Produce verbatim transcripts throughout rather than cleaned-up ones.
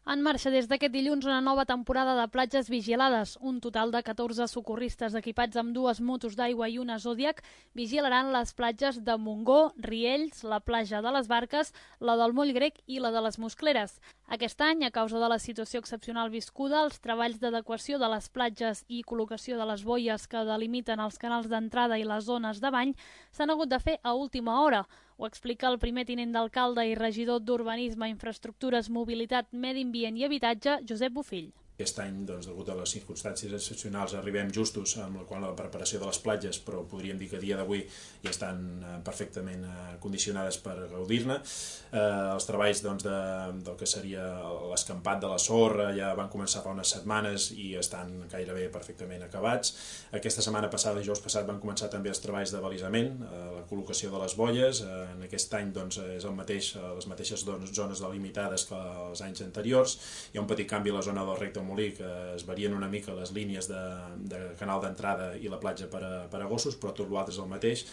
En marxa des d'aquest dilluns una nova temporada de platges vigilades. Un total de catorze socorristes equipats amb dues motos d'aigua i una Zodiac vigilaran les platges de Montgó, Riells, la platja de les Barques, la del Moll Grec i la de les Moscleres. Aquest any, a causa de la situació excepcional viscuda, els treballs d'adequació de les platges i col·locació de les boies que delimiten els canals d'entrada i les zones de bany s'han hagut de fer a última hora. Ho explica el primer tinent d'alcalde i regidor d'Urbanisme, Infraestructures, Mobilitat, Medi Ambient i Habitatge, Josep Bofill. Aquest any, doncs, degut a les circumstàncies excepcionals, arribem justos amb la, la preparació de les platges, però podríem dir que a dia d'avui ja estan eh, perfectament eh, condicionades per gaudir-ne. Eh, els treballs doncs, de, del que seria l'escampat de la sorra ja van començar fa unes setmanes i estan gairebé perfectament acabats. Aquesta setmana passada, dijous passat, van començar també els treballs de balisament, eh, la col·locació de les boies. Eh, en aquest any doncs, és el mateix, les mateixes zones delimitades que els anys anteriors. Hi ha un petit canvi a la zona del recte Molí, que es varien una mica les línies de, de canal d'entrada i la platja per a, per a gossos, però tot l'altre és el mateix.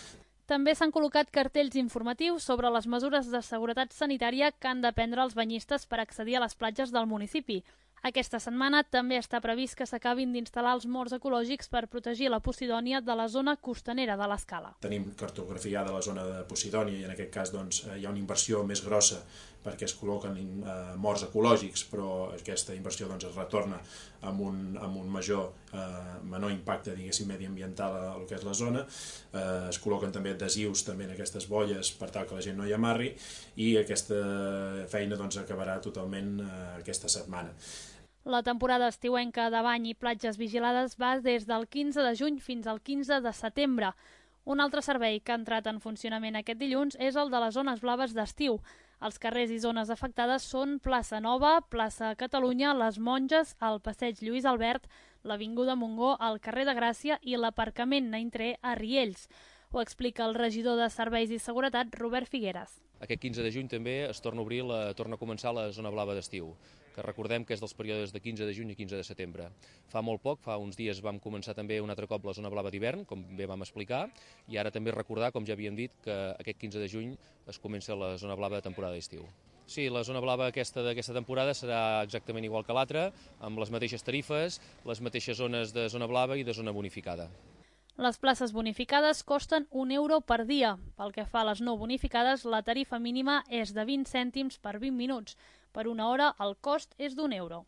També s'han col·locat cartells informatius sobre les mesures de seguretat sanitària que han de prendre els banyistes per accedir a les platges del municipi. Aquesta setmana també està previst que s'acabin d'instal·lar els morts ecològics per protegir la Posidònia de la zona costanera de l'Escala. Tenim cartografiada la zona de Posidònia i en aquest cas doncs, hi ha una inversió més grossa perquè es col·loquen eh, morts ecològics, però aquesta inversió doncs, es retorna amb un, amb un major, eh, menor impacte diguéssim mediambiental a, a lo que és la zona. Eh, es col·loquen també adhesius també en aquestes bolles per tal que la gent no hi amarri i aquesta feina doncs, acabarà totalment eh, aquesta setmana. La temporada estiuenca de bany i platges vigilades va des del quinze de juny fins al quinze de setembre. Un altre servei que ha entrat en funcionament aquest dilluns és el de les zones blaves d'estiu. Els carrers i zones afectades són Plaça Nova, Plaça Catalunya, les Monges, el Passeig Lluís Albert, l'Avinguda Montgó, el carrer de Gràcia i l'aparcament Naintré a Riells. Ho explica el regidor de Serveis i Seguretat, Robert Figueres. Aquest quinze de juny també es torna a obrir, la, torna a començar la zona blava d'estiu, que recordem que és dels períodes de quinze de juny i quinze de setembre. Fa molt poc, fa uns dies vam començar també un altre cop la zona blava d'hivern, com bé vam explicar, i ara també recordar, com ja havíem dit, que aquest quinze de juny es comença la zona blava de temporada d'estiu. Sí, la zona blava aquesta d'aquesta temporada serà exactament igual que l'altra, amb les mateixes tarifes, les mateixes zones de zona blava i de zona bonificada. Les places bonificades costen un euro per dia. Pel que fa a les no bonificades, la tarifa mínima és de vint cèntims per vint minuts. Per una hora, el cost és d'un euro.